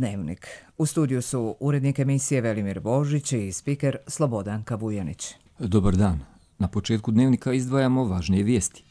Dnevnik. U studiju su urednik emisije Velimir Božić i spiker Slobodanka Vujanić. Dobar dan. Na početku Dnevnika izdvajamo važnije vijesti.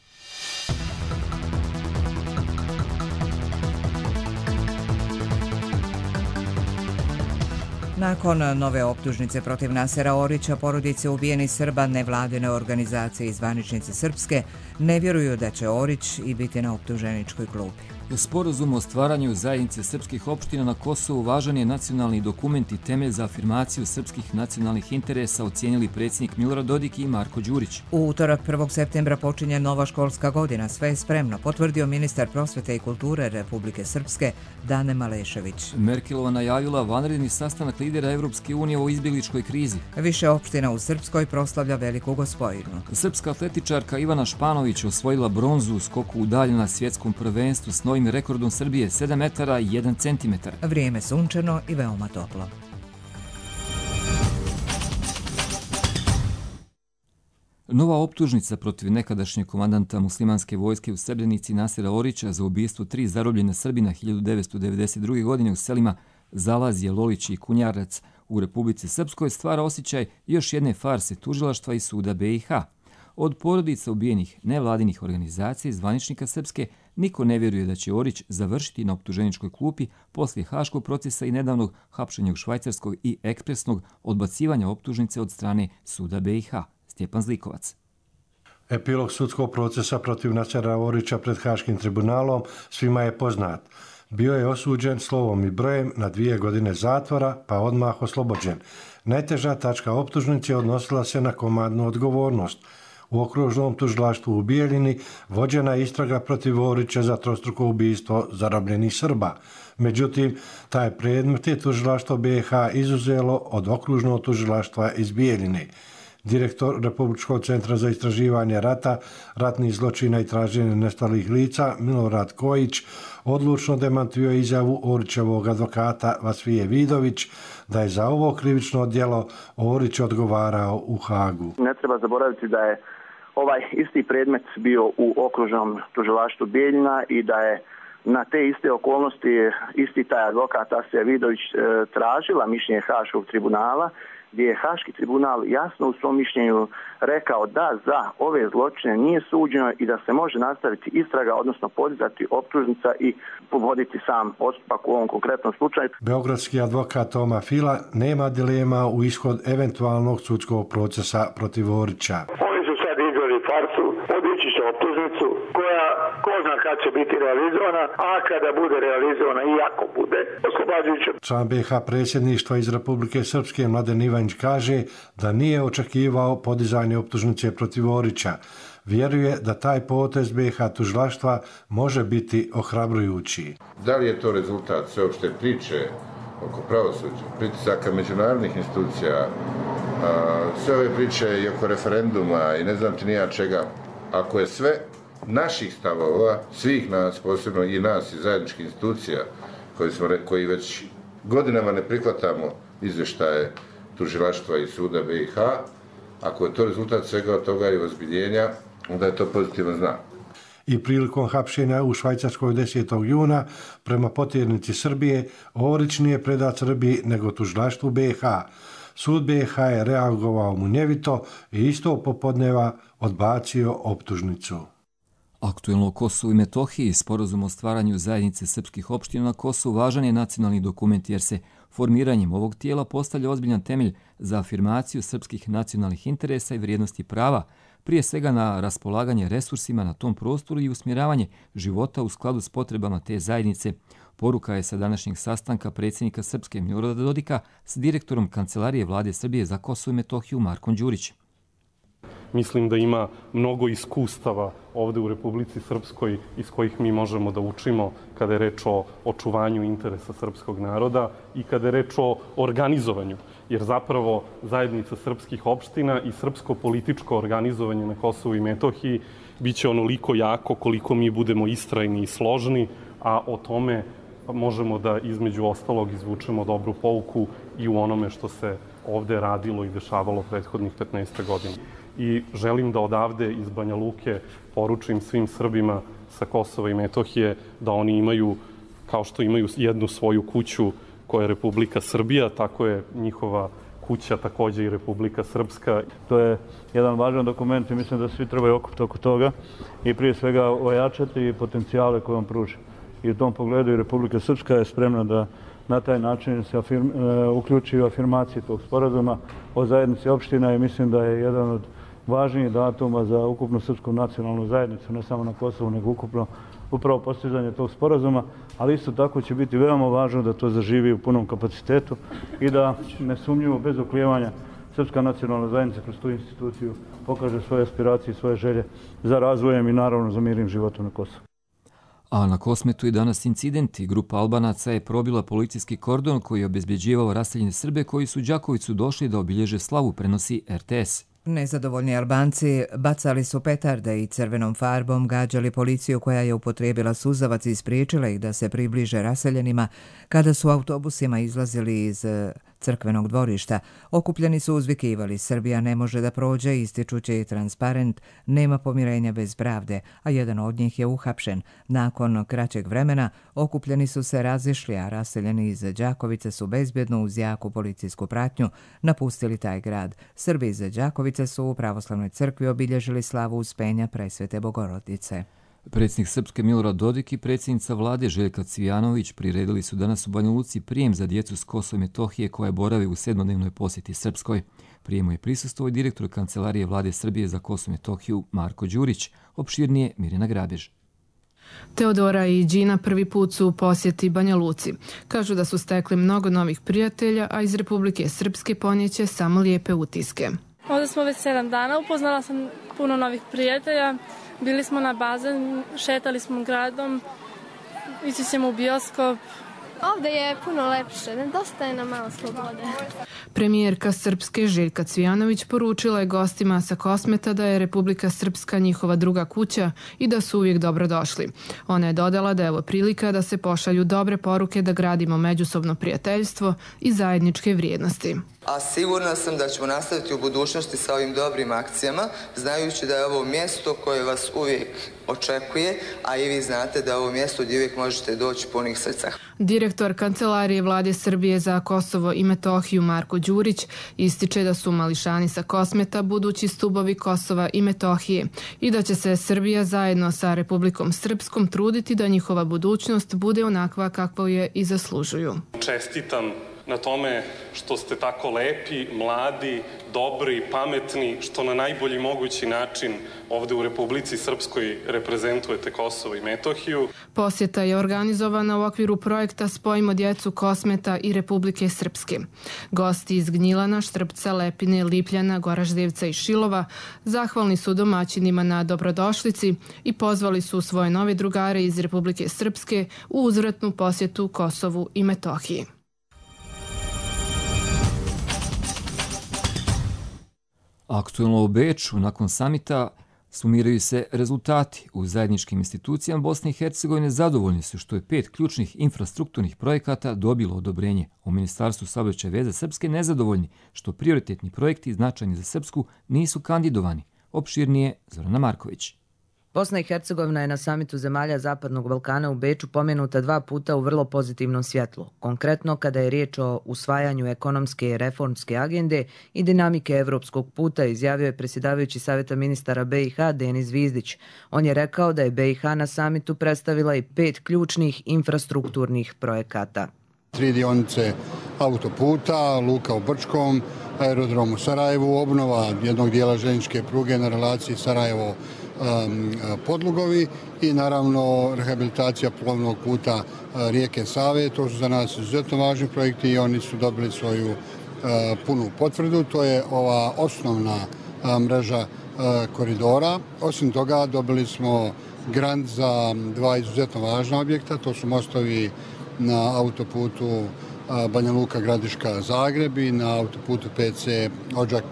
Nakon nove optužnice protiv Nasera Orića, porodice ubijenih Srba, nevladine organizacije i zvaničnici srpske ne vjeruju da će Orić i biti na optuženičkoj klupi. Sporazum o stvaranju zajednice srpskih opština na Kosovu važan je nacionalni dokument i temelj za afirmaciju srpskih nacionalnih interesa, ocijenili predsjednik Milorad Dodik i Marko Đurić. U utorak 1. septembra počinje nova školska godina. Sve je spremno, potvrdio ministar prosvete i kulture Republike Srpske Dane Malešević. Merkelova najavila vanredni sastanak lidera Evropske unije o izbjegličkoj krizi. Više opština u Srpskoj proslavlja Veliku Gospojinu. Srpska atletičarka Ivana Španović osvojila bronzu u skoku u dalje na svjetskom prvenstvu s novim rekordom Srbije 7 metara i 1 centimetar. Vrijeme sunčano i veoma toplo. Nova optužnica protiv nekadašnjeg komandanta muslimanske vojske u Srebrenici Nasera Orića za ubistvo 3 zarobljena Srbina 1992. godine u selima Zalazje, Lolić i Kunjarac u Republici Srpskoj stvara osjećaj još jedne farse tužilaštva i suda BiH. Od porodica ubijenih nevladinih organizacija i zvaničnika Srpske niko ne vjeruje da će Orić završiti na optuženičkoj klupi poslije haškog procesa i nedavnog hapšenja u Švajcarskog i ekspresnog odbacivanja optužnice od strane suda BiH. Stjepan Zlikovac. Epilog sudskog procesa protiv Nasera Orića pred Haškim tribunalom svima je poznat. Bio je osuđen slovom i brojem na 2 godine zatvora, pa odmah oslobođen. Najteža tačka optužnice odnosila se na komandnu odgovornost. U okružnom tužilaštvu u Bijeljini vođena je istraga protiv Orića za trostruko ubistvo zarobljenih Srba. Međutim, taj predmet je tužilaštvo BiH izuzelo od okružnog tužilaštva iz Bijeljine. Direktor Republičkog centra za istraživanje rata, ratnih zločina i traženje nestalih lica Milorad Kojić odlučno demantio izjavu Orićevog advokata Vasfije Vidović da je za ovo krivično djelo Orić odgovarao u Hagu. Ne treba zaboraviti da je ovaj isti predmet bio u okružnom tužilaštvu Bijeljina i da je na te iste okolnosti isti taj advokat Vasfija Vidović tražila mišljenje Haškog tribunala, gdje je Haški tribunal jasno u svom mišljenju rekao da za ove zločine nije suđeno i da se može nastaviti istraga, odnosno podizati optužnica i povoditi sam postupak u ovom konkretnom slučaju. Beogradski advokat Toma Fila nema dilema u ishod eventualnog sudskog procesa protiv Orića. Oni su sad izveli farsu, podići će optužnicu koja ko zna kad će biti realizovana, a kada bude realizovana i ako bude oslobađajuća. Član BiH predsjedništva iz Republike Srpske Mladen Ivanić kaže da nije očekivao podizanje optužnice protiv Orića. Vjeruje da taj potez BiH tužilaštva može biti ohrabrujući. Da li je to rezultat sveopšte priče oko pravosuđa, pritisaka međunarodnih institucija, sve ove priče i oko referenduma i ne znam ti nija čega, ako je sve naših stavova, svih nas, posebno i nas i zajedničkih institucija koji već godinama ne prihvatamo izvještaje tužilaštva i suda BiH, ako je to rezultat svega od toga i ozbiljenja, onda je to pozitivan znak. I prilikom hapšenja u Švajcarskoj 10. juna prema potjernici Srbije, Orić nije predat Srbiji nego tužilaštvu BiH. Sud BiH je reagovao munjevito i isto popodneva odbacio optužnicu. Aktuelno o Kosovu i Metohiji, sporazum o stvaranju zajednice srpskih opština na Kosovu važan je nacionalni dokument jer se formiranjem ovog tijela postavlja ozbiljan temelj za afirmaciju srpskih nacionalnih interesa i vrijednosti prava, prije svega na raspolaganje resursima na tom prostoru i usmjeravanje života u skladu s potrebama te zajednice. Poruka je sa današnjeg sastanka predsjednika Srpske Milorada Dodika s direktorom Kancelarije Vlade Srbije za Kosovo i Metohiju Markom Đurićem. Mislim da ima mnogo iskustava ovde u Republici Srpskoj iz kojih mi možemo da učimo kada je reč o očuvanju interesa srpskog naroda i kada je reč o organizovanju. Jer zapravo zajednica srpskih opština i srpsko političko organizovanje na Kosovu i Metohiji biće onoliko jako koliko mi budemo istrajni i složni, a o tome možemo da između ostalog izvučemo dobru pouku i u onome što se ovde radilo i dešavalo prethodnih 15 godina. I želim da odavde iz Banja Luke poručim svim Srbima sa Kosova i Metohije da oni imaju, kao što imaju jednu svoju kuću koja je Republika Srbija, tako je njihova kuća također i Republika Srpska. To je jedan važan dokument i mislim da svi trebaju okupiti oko toga i prije svega ojačati potencijale koje on pruža. I u tom pogledu i Republika Srpska je spremna da na taj način se uključi u afirmaciju tog sporazuma o zajednici opština i mislim da je jedan od važnijih datuma za ukupnu srpsku nacionalnu zajednicu, ne samo na Kosovu, nego ukupno upravo postizanje tog sporazuma, ali isto tako će biti veoma važno da to zaživi u punom kapacitetu i da nesumnjivo, bez oklijevanja, srpska nacionalna zajednica kroz tu instituciju pokaže svoje aspiracije i svoje želje za razvojem i naravno za mirnim životom na Kosovu. A na Kosmetu je danas incidenti. Grupa Albanaca je probila policijski kordon koji je obezbeđivao raseljene Srbe koji su u Đakovicu došli da obilježe slavu, prenosi RTS. Nezadovoljni Albanci bacali su petarde i crvenom farbom gađali policiju koja je upotrijebila suzavac i spriječila ih da se približe raseljenima kada su autobusima izlazili iz crkvenog dvorišta. Okupljeni su uzvikivali: Srbija ne može da prođe, ističući i transparent nema pomirenja bez pravde, a jedan od njih je uhapšen. Nakon kraćeg vremena okupljeni su se razišli, a raseljeni iz Đakovice su bezbjedno uz jaku policijsku pratnju napustili taj grad. Srbi iz Đakovice su u pravoslavnoj crkvi obilježili slavu Uspenja Presvete Bogorodice. Predsjednik Srpske Milorad Dodik i predsjednica vlade Željka Cvijanović priredili su danas u Banja Luci prijem za djecu s Kosova i Metohije koje borave u 7-dnevnoj posjeti Srpskoj. Prijemu je prisustvovao i direktor Kancelarije vlade Srbije za Kosovo i Metohiju Marko Đurić. Opširnije Mirjana Grabež. Teodora i Đina prvi put su u posjeti Banja Luci. Kažu da su stekli mnogo novih prijatelja, a iz Republike Srpske ponijeće samo lijepe utiske. Ovdje smo već 7 dana, upoznala sam puno novih prijatelja. Bili smo na bazen, šetali smo gradom, ići ćemo u bioskop. Ovdje je puno lepše, nedostaje nam malo slobode. Premijerka Srpske Željka Cvijanović poručila je gostima sa Kosmeta da je Republika Srpska njihova druga kuća i da su uvijek dobrodošli. Ona je dodala da je ovo prilika da se pošalju dobre poruke da gradimo međusobno prijateljstvo i zajedničke vrijednosti. A sigurna sam da ćemo nastaviti u budućnosti sa ovim dobrim akcijama, znajući da je ovo mjesto koje vas uvijek očekuje, a i vi znate da je ovo mjesto gdje uvijek možete doći punih srca. Direktor Kancelarije vlade Srbije za Kosovo i Metohiju Marko Đurić ističe da su mališani sa Kosmeta budući stubovi Kosova i Metohije i da će se Srbija zajedno sa Republikom Srpskom truditi da njihova budućnost bude onakva kakvu je i zaslužuju. Čestitam na tome što ste tako lepi, mladi, dobri, pametni, što na najbolji mogući način ovdje u Republici Srpskoj reprezentujete Kosovo i Metohiju. Posjeta je organizovana u okviru projekta Spojimo djecu Kosmeta i Republike Srpske. Gosti iz Gnjilana, Štrpca, Lepine, Lipljana, Goraždevca i Šilova zahvalni su domaćinima na dobrodošlici i pozvali su svoje nove drugare iz Republike Srpske u uzvratnu posjetu Kosovu i Metohiji. Aktuelno u Beču, nakon samita, sumiraju se rezultati. U zajedničkim institucijama Bosne i Hercegovine zadovoljni su što je 5 ključnih infrastrukturnih projekata dobilo odobrenje. U Ministarstvu saobraćaja i veza Srpske nezadovoljni što prioritetni projekti značajni za Srpsku nisu kandidovani. Opširnije Zorana Marković. Bosna i Hercegovina je na samitu zemalja Zapadnog Balkana u Beču pomenuta 2 puta u vrlo pozitivnom svjetlu. Konkretno kada je riječ o usvajanju ekonomske i reformske agende i dinamike evropskog puta, izjavio je predsjedavajući Savjeta ministara BiH Denis Zvizdić. On je rekao da je BiH na samitu predstavila i 5 ključnih infrastrukturnih projekata. 3 dionice autoputa, luka u Brčkom, aerodrom u Sarajevu, obnova jednog dijela željezničke pruge na relaciji Sarajevo Podlugovi i naravno rehabilitacija plovnog puta rijeke Save. To su za nas izuzetno važni projekti i oni su dobili svoju punu potvrdu. To je ova osnovna mreža koridora. Osim toga dobili smo grant za 2 izuzetno važna objekta. To su mostovi na autoputu Banja Luka Gradiška Zagreb i na autoputu PC Odžak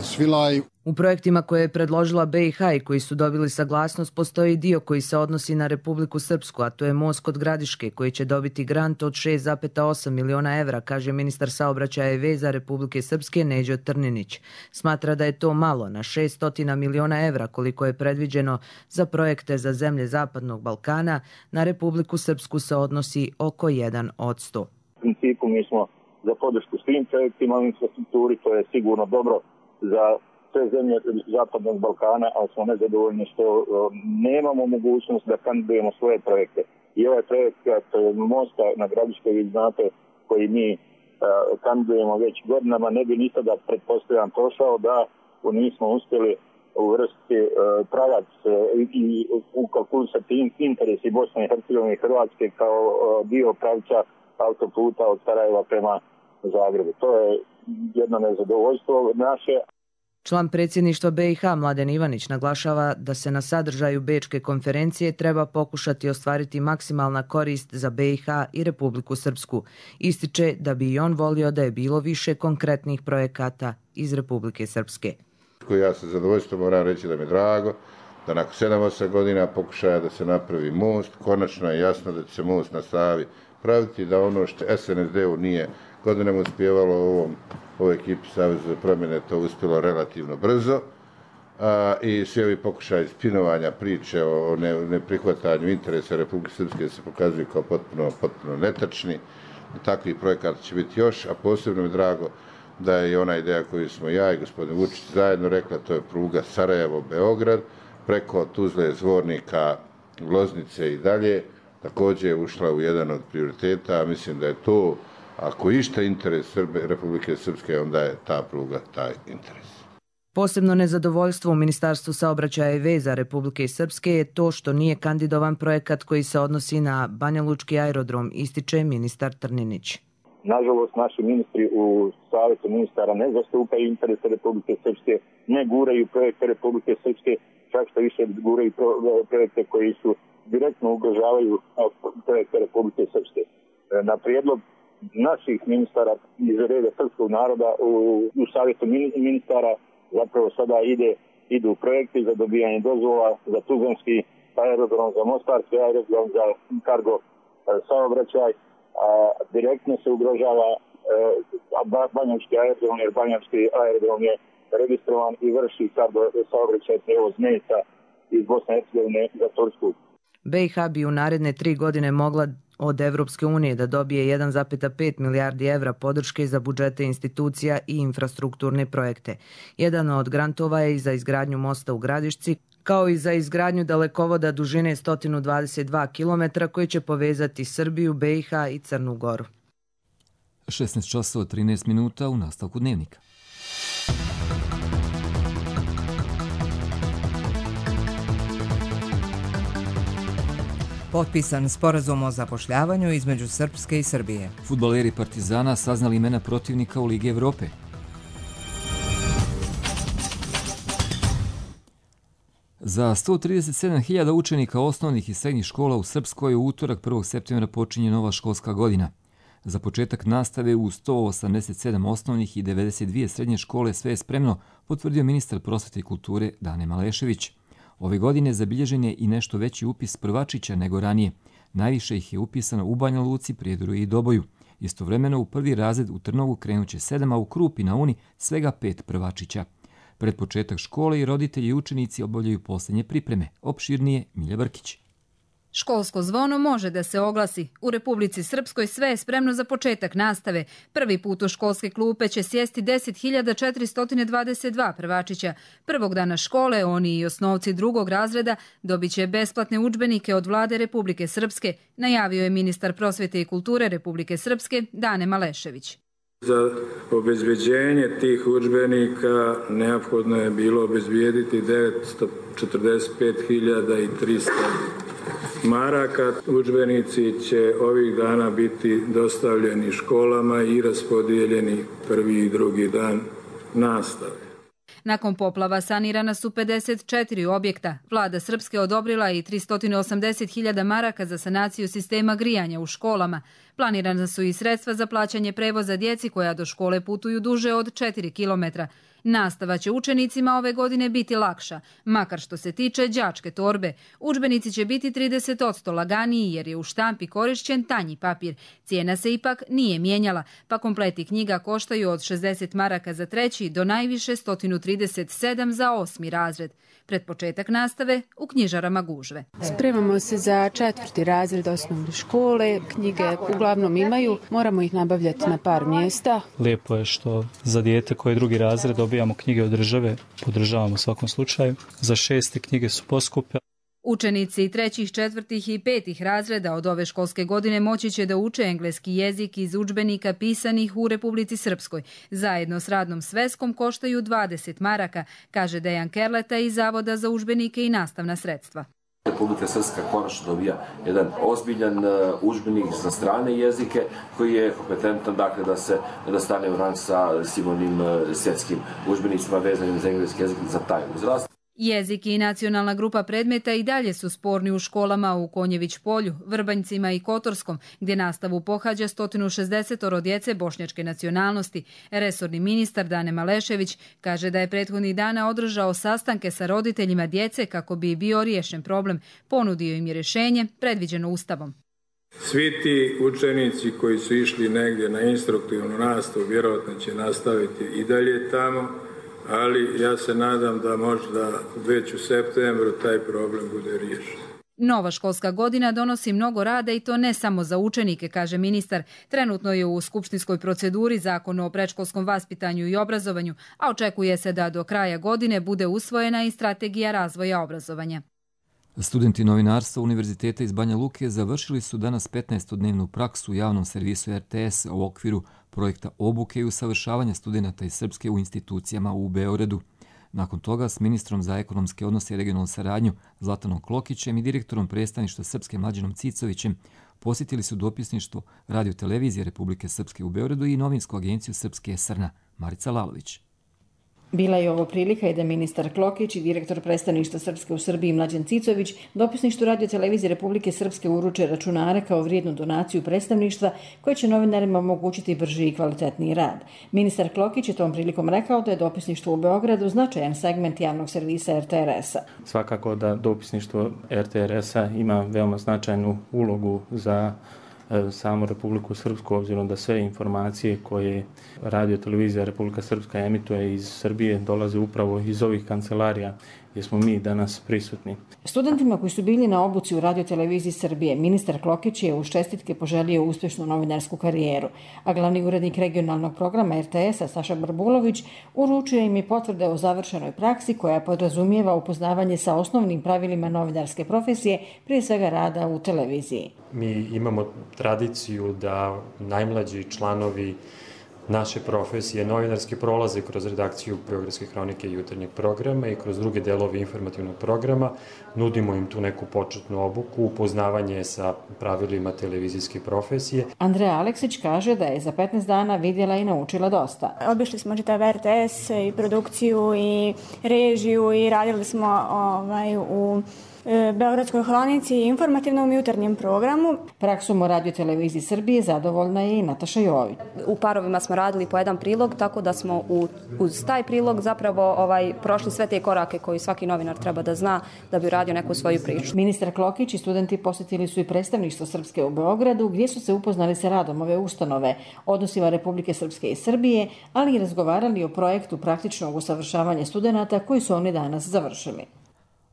Svilaj. U projektima koje je predložila BiH i koji su dobili saglasnost postoji dio koji se odnosi na Republiku Srpsku, a to je most kod Gradiške koji će dobiti grant od 6,8 miliona evra, kaže ministar saobraćaja i veza Republike Srpske Neđo Trninić. Smatra da je to malo na 600 miliona evra koliko je predviđeno za projekte za zemlje Zapadnog Balkana. Na Republiku Srpsku se odnosi oko 1%. principu mi smo za podršku svim projektima u infrastrukturi, to je sigurno dobro za sve zemlje Zapadnog Balkana, ali smo nezadovoljni što nemamo mogućnost da kandidujemo svoje projekte. I ovaj projekt mosta na Gradiškoj, vi znate, koji mi kandidujemo već godinama, ne bi nikada pretpostavljam prošao da nismo uspjeli uvrstiti pravac i ukalkulisati interesi Bosne i Hercegovine i Hrvatske kao dio pravca autoputa od Sarajeva prema Zagrebu. To je jedno nezadovoljstvo naše. Član predsjedništva BiH Mladen Ivanić naglašava da se na sadržaju Bečke konferencije treba pokušati ostvariti maksimalna korist za BiH i Republiku Srpsku. Ističe da bi i on volio da je bilo više konkretnih projekata iz Republike Srpske. Ja sa zadovoljstvom moram reći da mi je drago da nakon 7-8 godina pokušaja da se napravi most, konačno je jasno da će se most nastavi praviti, da ono što SNSD-u nije godinama uspjevalo, ovoj ekipi Saveza za promjene to uspjelo relativno brzo i svi ovi pokušaji spinovanja priče o neprihvatanju interesa Republike Srpske se pokazuju kao potpuno netačni. Takvih projekata će biti još, a posebno mi je drago da je i ona ideja koju smo ja i gospodin Vučić zajedno rekla, to je pruga Sarajevo-Beograd, preko Tuzle, Zvornika, Loznice i dalje, također je ušla u jedan od prioriteta, a mislim da je to, ako išta interes Republike Srpske, onda je ta pruga taj interes. Posebno nezadovoljstvo u Ministarstvu saobraćaja i veza Republike Srpske je to što nije kandidovan projekat koji se odnosi na Banjalučki aerodrom, ističe ministar Trninić. Nažalost, naši ministri u Savjetu ministara ne zastupaju interese Republike Srpske, ne guraju projekte Republike Srpske, čak što više guraju projekte koji su direktno ugrožavaju projekte Republike Srpske. Na prijedlog naših ministara iz reda srpskog naroda u Savjetu ministara zapravo sada idu projekti za dobijanje dozvola za Tuzlanski aerodrom, za Mostarski aerodrom, za kargo saobraćaj. Direktno se ugrožava Banjački aerodrom, jer Banjački aerodrom je registrovan i vrši kargo saobraćaj prevoz mesa iz Bosne i Hercegovine za Tursku. BiH bi u naredne 3 godine mogla od Evropske unije da dobije 1,5 milijardi evra podrške za budžete institucija i infrastrukturne projekte. Jedan od grantova je i za izgradnju mosta u Gradišci, kao i za izgradnju dalekovoda dužine 122 km koji će povezati Srbiju, BiH i Crnu Goru. 16:13 u nastavku dnevnika. Potpisan sporazum o zapošljavanju između Srpske i Srbije. Fudbaleri Partizana saznali imena protivnika u Ligi Evrope. Za 137.000 učenika osnovnih i srednjih škola u Srpskoj u utorak 1. septembra počinje nova školska godina. Za početak nastave u 187 osnovnih i 92 srednje škole sve je spremno, potvrdio ministar prosvete i kulture Dane Malešević. Ove godine zabilježen je i nešto veći upis prvačića nego ranije. Najviše ih je upisano u Banja Luci, Prijedoru i Doboju. Istovremeno u prvi razred u Trnovu krenuće 7, a u Krupi na Uni svega 5 prvačića. Pred početak škole i roditelji i učenici obavljaju posljednje pripreme. Opširnije Milja Brkić. Školsko zvono može da se oglasi. U Republici Srpskoj sve je spremno za početak nastave. Prvi put u školske klupe će sjesti 10.422 prvačića. Prvog dana škole oni i osnovci drugog razreda dobit će besplatne udžbenike od vlade Republike Srpske, najavio je ministar prosvete i kulture Republike Srpske Dane Malešević. Za obezbeđenje tih udžbenika neophodno je bilo obezbijediti 945.300 maraka. Udžbenici će ovih dana biti dostavljeni školama i raspodijeljeni prvi i drugi dan nastave. Nakon poplava sanirana su 54 objekta. Vlada Srpske odobrila i 380.000 maraka za sanaciju sistema grijanja u školama. Planirana su i sredstva za plaćanje prevoza djeci koja do škole putuju duže od 4 km. Nastava će učenicima ove godine biti lakša, makar što se tiče đačke torbe. Udžbenici će biti 30% laganiji jer je u štampi korišćen tanji papir. Cijena se ipak nije mijenjala, pa kompleti knjiga koštaju od 60 maraka za 3. do najviše 137 za 8. razred. Pred početak nastave u knjižarama gužve. Spremamo se za 4. razred osnovne škole, knjige uglavnom imaju, moramo ih nabavljati na par mjesta. Lijepo je što za dijete koje je 2. razred dobijamo knjige od države, podržavamo u svakom slučaju. Za 6. knjige su poskupe. Učenici 3., 4. i 5. razreda od ove školske godine moći će da uče engleski jezik iz udžbenika pisanih u Republici Srpskoj. Zajedno s radnom sveskom koštaju 20 maraka, kaže Dejan Kerleta iz Zavoda za udžbenike i nastavna sredstva. Republika Srpska konačno dobija jedan ozbiljan udžbenik za strane jezike koji je kompetentan da stane u rang sa svim onim svjetskim udžbenicima vezanim za engleski jezik za taj uzrast. Jezik i nacionalna grupa predmeta i dalje su sporni u školama u Konjević polju, Vrbanjcima i Kotorskom, gdje nastavu pohađa 160 djece bošnjačke nacionalnosti. Resorni ministar Dane Malešević kaže da je prethodnih dana održao sastanke sa roditeljima djece kako bi bio riješen problem. Ponudio im je rješenje predviđeno Ustavom. Svi ti učenici koji su išli negdje na instruktivnu nastavu vjerojatno će nastaviti i dalje tamo, ali ja se nadam da možda već u septembru taj problem bude riješen. Nova školska godina donosi mnogo rada i to ne samo za učenike, kaže ministar. Trenutno je u skupštinskoj proceduri Zakon o predškolskom vaspitanju i obrazovanju, a očekuje se da do kraja godine bude usvojena i strategija razvoja obrazovanja. Studenti novinarstva Univerziteta iz Banja Luke završili su danas 15-dnevnu praksu u javnom servisu RTS u okviru projekta obuke i usavršavanja studenata iz Srpske u institucijama u Beogradu. Nakon toga s ministrom za ekonomske odnose i regionalnu saradnju Zlatanom Klokićem i direktorom predstavništva Srpske Mlađanom Cicovićem posjetili su dopisništvo Radio-televizije Republike Srpske u Beogradu i novinsku agenciju Srpske Srna Marica Lalović. Bila je ovo prilika i da ministar Klokić i direktor predstavništva Srpske u Srbiji Mlađan Cicović dopisništvu Radio-televizije Republike Srpske uruče računare kao vrijednu donaciju predstavništva koje će novinarima omogućiti brži i kvalitetniji rad. Ministar Klokić je tom prilikom rekao da je dopisništvo u Beogradu značajan segment javnog servisa RTRS-a. Svakako da dopisništvo RTRS-a ima veoma značajnu ulogu za samu Republiku Srpsku, obzirom da sve informacije koje Radio-televizija Republika Srpska emituje iz Srbije dolaze upravo iz ovih kancelarija gdje smo mi danas prisutni. Studentima koji su bili na obuci u Radio-televiziji Srbije, ministar Klokić je uz čestitke poželio uspješnu novinarsku karijeru, a glavni urednik regionalnog programa RTS-a Saša Barbulović uručio im i potvrde o završenoj praksi koja podrazumijeva upoznavanje sa osnovnim pravilima novinarske profesije, prije svega rada u televiziji. Mi imamo tradiciju da najmlađi članovi naše profesije novinarske prolaze kroz redakciju Beogradske hronike i jutarnjeg programa i kroz druge delove informativnog programa. Nudimo im tu neku početnu obuku, upoznavanje sa pravilima televizijske profesije. Andreja Aleksić kaže da je za 15 dana vidjela i naučila dosta. Obišli smo čitav RTS i produkciju i režiju i radili smo u Beogradskoj hronici i informativnom jutarnjem programu. Praksom u Radio-televiziji Srbije zadovoljna je i Nataša Jović. U parovima smo radili po jedan prilog, tako da smo uz taj prilog zapravo prošli sve te korake koji svaki novinar treba da zna da bi radio neku svoju priču. Ministar Klokić i studenti posjetili su i predstavništvo Srpske u Beogradu, gdje su se upoznali sa radom ove ustanove, odnosima Republike Srpske i Srbije, ali i razgovarali o projektu praktičnog usavršavanja studenata koji su oni danas završili.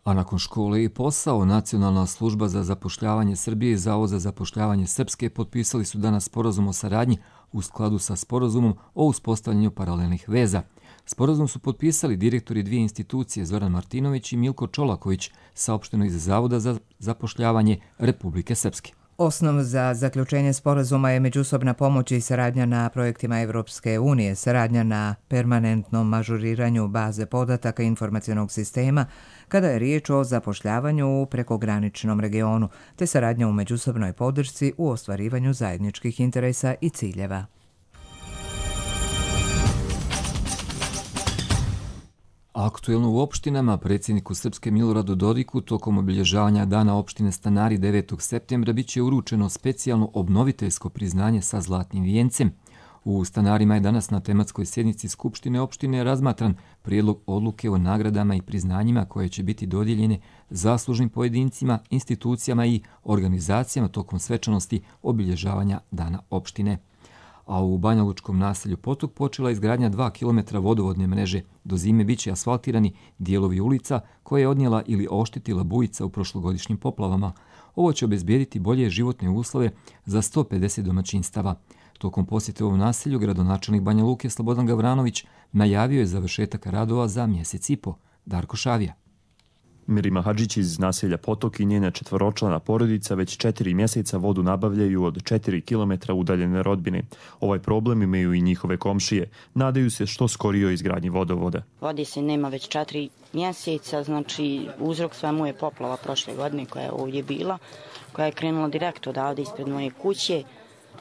A nakon škole i posao, Nacionalna služba za zapošljavanje Srbije i Zavod za zapošljavanje Srpske potpisali su danas sporazum o saradnji u skladu sa sporazumom o uspostavljanju paralelnih veza. Sporazum su potpisali direktori dvije institucije Zoran Martinović i Milko Čolaković, saopšteno iz Zavoda za zapošljavanje Republike Srpske. Osnov za zaključenje sporazuma je međusobna pomoć i saradnja na projektima Evropske unije, saradnja na permanentnom ažuriranju baze podataka informacionog sistema kada je riječ o zapošljavanju u prekograničnom regionu, te saradnja u međusobnoj podršci u ostvarivanju zajedničkih interesa i ciljeva. Aktuelno u opštinama predsjedniku Srpske Miloradu Dodiku tokom obilježavanja Dana opštine Stanari 9. septembra biće uručeno specijalno obnoviteljsko priznanje sa zlatnim vijencem. U Stanarima je danas na tematskoj sjednici Skupštine opštine razmatran prijedlog odluke o nagradama i priznanjima koje će biti dodijeljene zaslužnim pojedincima, institucijama i organizacijama tokom svečanosti obilježavanja Dana opštine. A u banjalučkom naselju Potok počela izgradnja 2 km vodovodne mreže. Do zime biće asfaltirani dijelovi ulica koje je odnijela ili oštetila bujica u prošlogodišnjim poplavama. Ovo će obezbijediti bolje životne uslove za 150 domaćinstava. Tokom posjete ovom naselju gradonačelnik Banja Luke Slobodan Gavranović najavio je završetak radova za mjesec i po. Darko Šavija. Mirima Hadžić iz naselja Potok i njena 4-člana porodica već 4 mjeseca vodu nabavljaju od 4 km udaljene rodbine. Ovaj problem imaju i njihove komšije. Nadaju se što skorijoj izgradnji vodovoda. Vode se nema već 4 mjeseca, znači uzrok svemu je poplava prošle godine koja je ovdje bila, koja je krenula direkt odavde ispred moje kuće.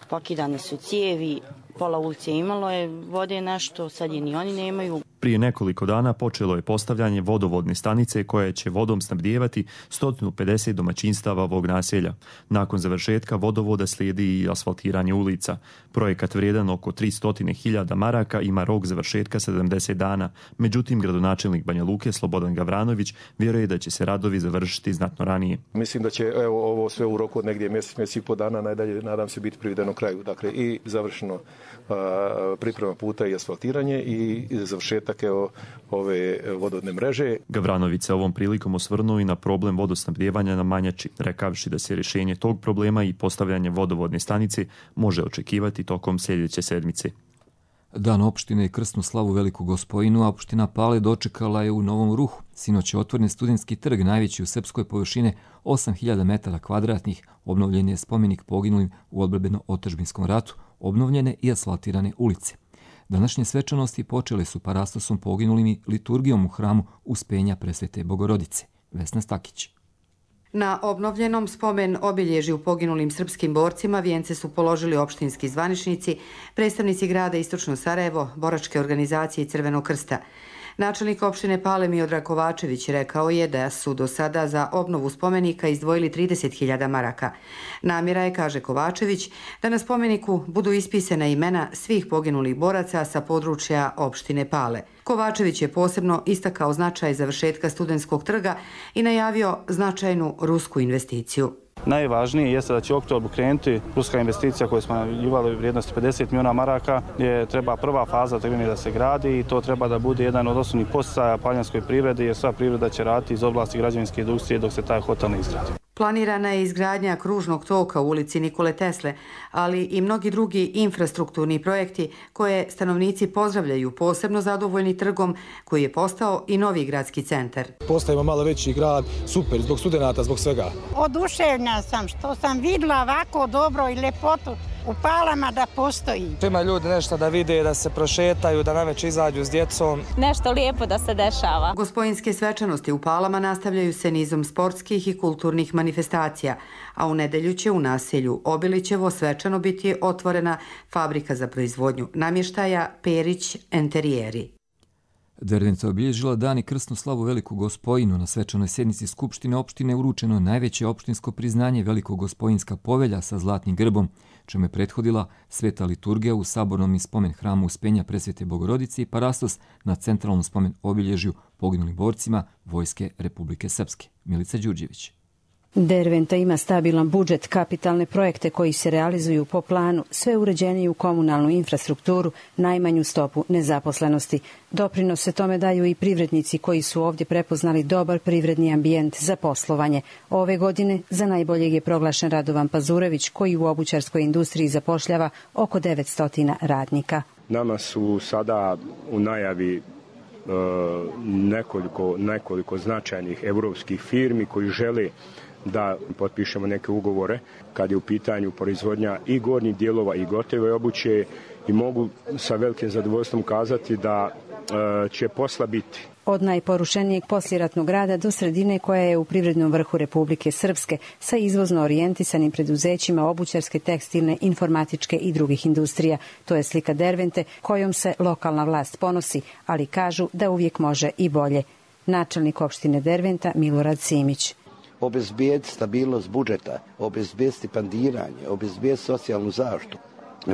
Pokidane su cijevi, pola ulice imalo je vode nešto, sad je ni oni nemaju. Prije nekoliko dana počelo je postavljanje vodovodne stanice koja će vodom snabdijevati 150 domaćinstava ovog naselja. Nakon završetka vodovoda slijedi i asfaltiranje ulica. Projekat vrijedan oko 300.000 maraka ima rok završetka 70 dana. Međutim, gradonačelnik Banja Luke Slobodan Gavranović vjeruje da će se radovi završiti znatno ranije. Mislim da će ovo sve u roku od negdje mjesec i po dana najdalje, nadam se, biti privedeno kraju. Dakle, i završeno priprema puta i asfaltiranje i završetak ove vodovodne mreže. Gavranović se ovom prilikom osvrnuo i na problem vodosnabdijevanja na Manjači, rekavši da se rješenje tog problema i postavljanje vodovodne stanice može očekivati tokom sljedeće sedmice. Dan opštine i krsnu slavu Veliku Gospojinu, a opština Pale dočekala je u Novom Ruhu. Sinoć je otvoren studentski trg, najveći u srpskoj površine 8000 metara kvadratnih. Obnovljen je spomenik poginulim u odbrambeno-otadžbinskom ratu, obnovljene i asfaltirane ulice. Današnje svečanosti počele su parastosom poginulim i liturgijom u hramu Uspenja Presvete Bogorodice. Vesna Stakić. Na obnovljenom spomen obilježju poginulim srpskim borcima vijence su položili opštinski zvaničnici, predstavnici grada Istočno Sarajevo, boračke organizacije i Crvenog krsta. Načelnik opštine Pale Miodrag Kovačević rekao je da su do sada za obnovu spomenika izdvojili 30.000 maraka. Namjera je, kaže Kovačević, da na spomeniku budu ispisana imena svih poginulih boraca sa područja opštine Pale. Kovačević je posebno istakao značaj završetka studentskog trga i najavio značajnu rusku investiciju. Najvažnije jeste da će u oktobru krenuti ruska investicija koju smo najavljivali u vrijednosti 50 milijuna maraka, gdje treba prva faza da se gradi i to treba da bude jedan od osnovnih poticaja paljanskoj privredi, jer sva privreda će raditi iz oblasti građevinske industrije dok se taj hotel ne izgradi. Planirana je izgradnja kružnog toka u ulici Nikole Tesle, ali i mnogi drugi infrastrukturni projekti koje stanovnici pozdravljaju, posebno zadovoljni trgom koji je postao i novi gradski centar. Postajemo malo veći grad, super, zbog studenata, zbog svega. Oduševljena sam što sam vidjela ovako dobro i lepotu u Palama da postoji. Ima ljudi nešto da vide, da se prošetaju, da navečer izađu s djecom. Nešto lijepo da se dešava. Gospojinske svečanosti u Palama nastavljaju se nizom sportskih i kulturnih manifestacija, a u nedelju će u naselju Obilićevo svečano biti otvorena fabrika za proizvodnju namještaja Perić Enterijeri. Derventa obilježila dan i krsnu slavu Veliku Gospojinu. Na svečanoj sjednici Skupštine opštine uručeno najveće opštinsko priznanje Velikogospojinska povelja sa zlatnim grbom, čemu je prethodila sveta liturgija u sabornom i spomen hramu Uspenja Presvete Bogorodice i parastos na centralnom spomen obilježju poginulim borcima Vojske Republike Srpske. Milica Đurđević. Derventa ima stabilan budžet, kapitalne projekte koji se realizuju po planu, sve uređeniju komunalnu infrastrukturu, najmanju stopu nezaposlenosti. Doprinose tome daju i privrednici koji su ovdje prepoznali dobar privredni ambijent za poslovanje. Ove godine za najboljeg je proglašen Radovan Pazurević koji u obućarskoj industriji zapošljava oko 900 radnika. Nama su sada u najavi nekoliko značajnih europskih firmi koji žele da potpišemo neke ugovore kad je u pitanju proizvodnja i gornjih dijelova i gotove obuće i mogu sa velikim zadovoljstvom kazati da će posla biti. Od najporušenijeg poslijeratnog rada do sredine koja je u privrednom vrhu Republike Srpske sa izvozno orijentisanim preduzećima obućarske, tekstilne, informatičke i drugih industrija. To je slika Dervente kojom se lokalna vlast ponosi, ali kažu da uvijek može i bolje. Načelnik opštine Derventa Milorad Simić. Obezbijeti stabilnost budžeta, obezbijeti stipendiranje, obezbijeti socijalnu zaštitu,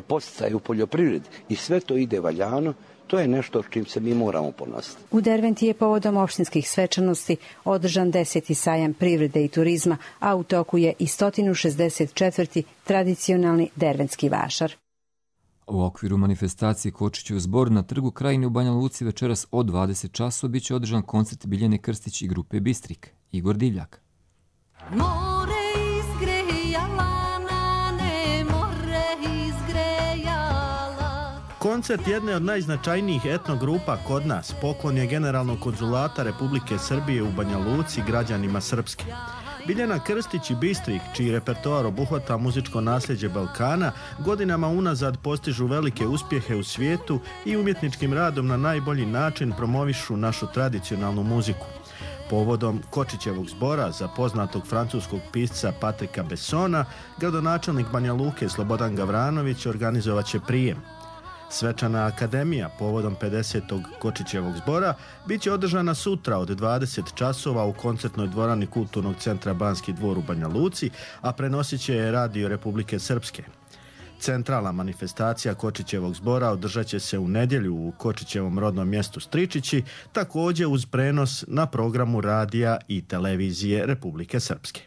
poticaje u poljoprivredi i sve to ide valjano. To je nešto s čim se mi moramo ponositi. U Derventi je povodom opštinskih svečanosti održan 10. sajam privrede i turizma, a u toku je i 164. tradicionalni derventski vašar. U okviru manifestacije Kočićev zbor na trgu Krajine u Banja Luci večeras od 20 časova biće održan koncert Biljane Krstić i grupe Bistrik. Igor Divljak. Koncert jedne od najznačajnijih etnogrupa kod nas poklon je Generalnog konzulata Republike Srbije u Banja Luci građanima Srpske. Biljana Krstić i Bistrik, čiji repertoar obuhvata muzičko nasljeđe Balkana, godinama unazad postižu velike uspjehe u svijetu i umjetničkim radom na najbolji način promovišu našu tradicionalnu muziku. Povodom Kočićevog zbora za poznatog francuskog pisca Patrika Bessona, gradonačelnik Banja Luke Slobodan Gavranović organizovat će prijem. Svečana akademija povodom 50. Kočićevog zbora bit će održana sutra od 20 časova u koncertnoj dvorani Kulturnog centra Banski dvor u Banja Luci, a prenosit će je Radio Republike Srpske. Centralna manifestacija Kočićevog zbora održat će se u nedjelju u Kočićevom rodnom mjestu Stričići, također uz prenos na programu radija i televizije Republike Srpske.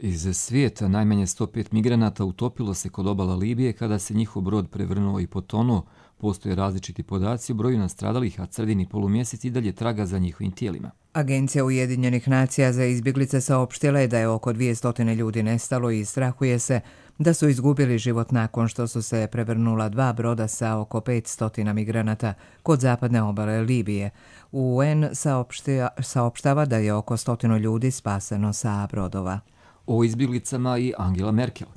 Iz svijeta najmanje 105 migranata utopilo se kod obala Libije kada se njihov brod prevrnuo i potonuo. Postoje različiti podaci o broju nastradalih, a crveni polumjesec i dalje traga za njihovim tijelima. Agencija Ujedinjenih nacija za izbjeglice saopštila je da je oko 200 ljudi nestalo i strahuje se da su izgubili život nakon što su se prevrnula 2 broda sa oko 500 migranata kod zapadne obale Libije. UN saopštava da je oko 100 ljudi spaseno sa brodova. O izbjeglicama i Angela Merkel.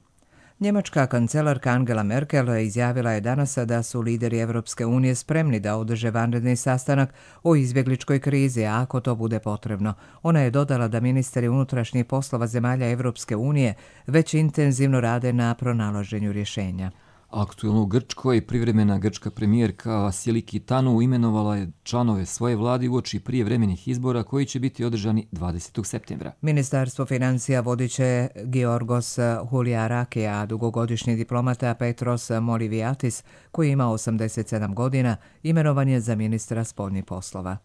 Njemačka kancelarka Angela Merkel izjavila je danas da su lideri Evropske unije spremni da održe vanredni sastanak o izbjegličkoj krizi, a ako to bude potrebno. Ona je dodala da ministri unutrašnjih poslova zemalja Evropske unije već intenzivno rade na pronalaženju rješenja. Aktuelno u Grčkoj privremena grčka premijerka Vasiliki Tanu imenovala je članove svoje vlade uoči prijevremenih izbora koji će biti održani 20. septembra. Ministarstvo financija vodit će Georgos Huliaraki, a dugogodišnji diplomata Petros Moliviatis, koji ima 87 godina, imenovan je za ministra spoljnih poslova.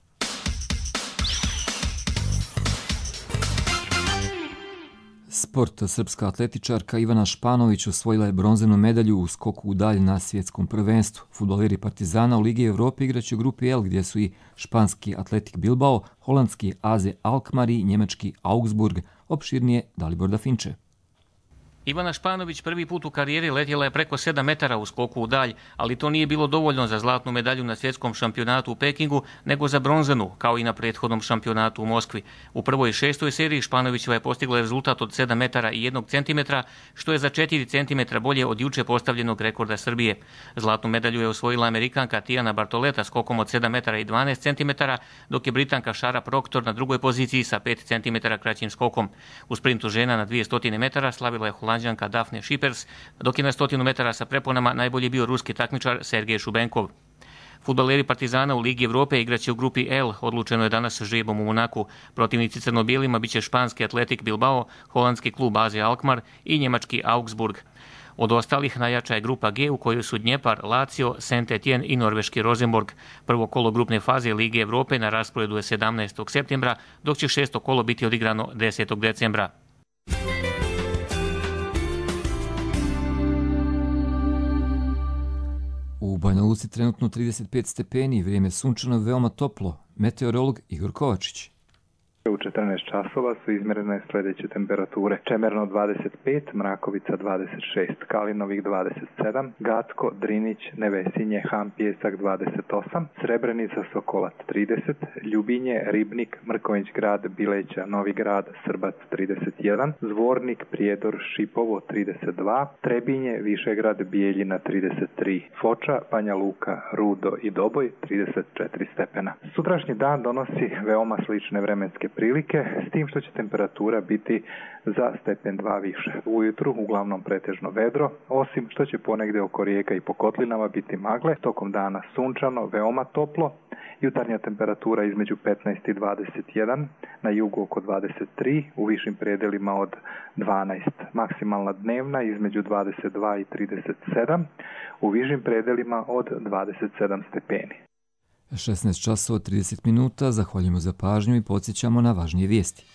Sport. Srpska atletičarka Ivana Španović osvojila je bronzanu medalju u skoku u dalj na svjetskom prvenstvu. Fudbaleri Partizana u Ligi Evrope igraće u grupi L, gdje su i španski Atletik Bilbao, holandski AZ Alkmaar i njemački Augsburg. Opširnije Dalibor Dafinče. Ivana Španović prvi put u karijeri letjela je preko 7 metara u skoku u dalj, ali to nije bilo dovoljno za zlatnu medalju na svjetskom šampionatu u Pekingu, nego za bronzanu, kao i na prethodnom šampionatu u Moskvi. U prvoj 6. seriji Španovićeva je postigla rezultat od 7 metara i 1 centimetra, što je za 4 centimetra bolje od juče postavljenog rekorda Srbije. Zlatnu medalju je osvojila Amerikanka Tijana Bartoleta skokom od 7 metara i 12 centimetara, dok je Britanka Shara Proctor na drugoj poziciji sa 5 centimetara kraćim skokom. U sprintu žena na 200 metara slavila je Holanđanka Dafne Šippers, dok je na 100 metara sa preponama najbolji bio ruski takmičar Sergej Šubenkov. Fudbaleri Partizana u Ligi Evrope igraće u grupi L, odlučeno je danas žrebom u Monaku. Protivnici crno-bijelima biće španski Atletik Bilbao, holandski klub AZ Alkmaar i njemački Augsburg. Od ostalih najjača je grupa G u kojoj su Dnjepar, Lazio, Saint-Étienne i norveški Rosenborg. Prvo kolo grupne faze Lige Evrope na rasporedu je 17. septembra, dok će 6. kolo biti odigrano 10. decembra. U Banja Luci trenutno 35 stepeni, vrijeme sunčano, veoma toplo. Meteorolog Igor Kovačić. U 14 časova su izmjerene sljedeće temperature. Čemerno 25, Mrakovica 26, Kalinovik 27, Gacko, Drinić, Nevesinje, Han Pjesak 28, Srebrenica, Sokolac 30, Ljubinje, Ribnik, Mrkonjić grad, Bileća, Novi grad, Srbac 31, Zvornik, Prijedor, Šipovo 32, Trebinje, Višegrad, Bijeljina 33, Foča, Banja Luka, Rudo i Doboj 34 stepena. Sutrašnji dan donosi veoma slične vremenske prilike, s tim što će temperatura biti za stepen 2 više. Ujutru uglavnom pretežno vedro, osim što će ponegde oko rijeka i po kotlinama biti magle, tokom dana sunčano, veoma toplo, jutarnja temperatura između 15 i 21, na jugu oko 23, u višim predelima od 12, maksimalna dnevna između 22 i 37, u višim predelima od 27 stepeni. 16 časova 30 minuta, zahvaljujemo za pažnju i podsjećamo na važnije vijesti.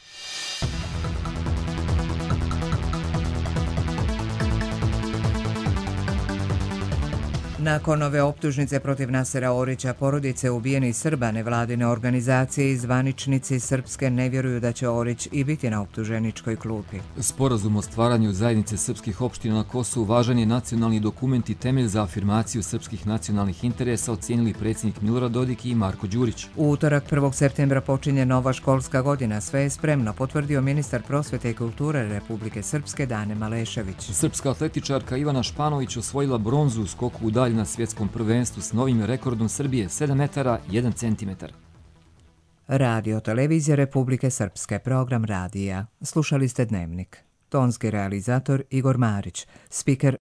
Nakon ove optužnice protiv Nasera Orića, porodice ubijenih Srba, nevladine organizacije i zvaničnici srpske ne vjeruju da će Orić i biti na optuženičkoj klupi. Sporazum o stvaranju zajednice srpskih opština na Kosovu važan je nacionalni dokument i temelj za afirmaciju srpskih nacionalnih interesa, ocijenili predsjednik Milorad Dodik i Marko Đurić. U utorak 1. septembra počinje nova školska godina. Sve je spremno, potvrdio ministar prosvete i kulture Republike Srpske Dane Malešević. Srpska atletičarka Ivana Španović osvojila bronzu u skoku u dalj na svjetskom prvenstvu s novim rekordom Srbije 7 metara 1 centimetar. Radio televizija Republike Srpske, program radija. Slušali ste Dnevnik. Tonski realizator Igor Marić, spiker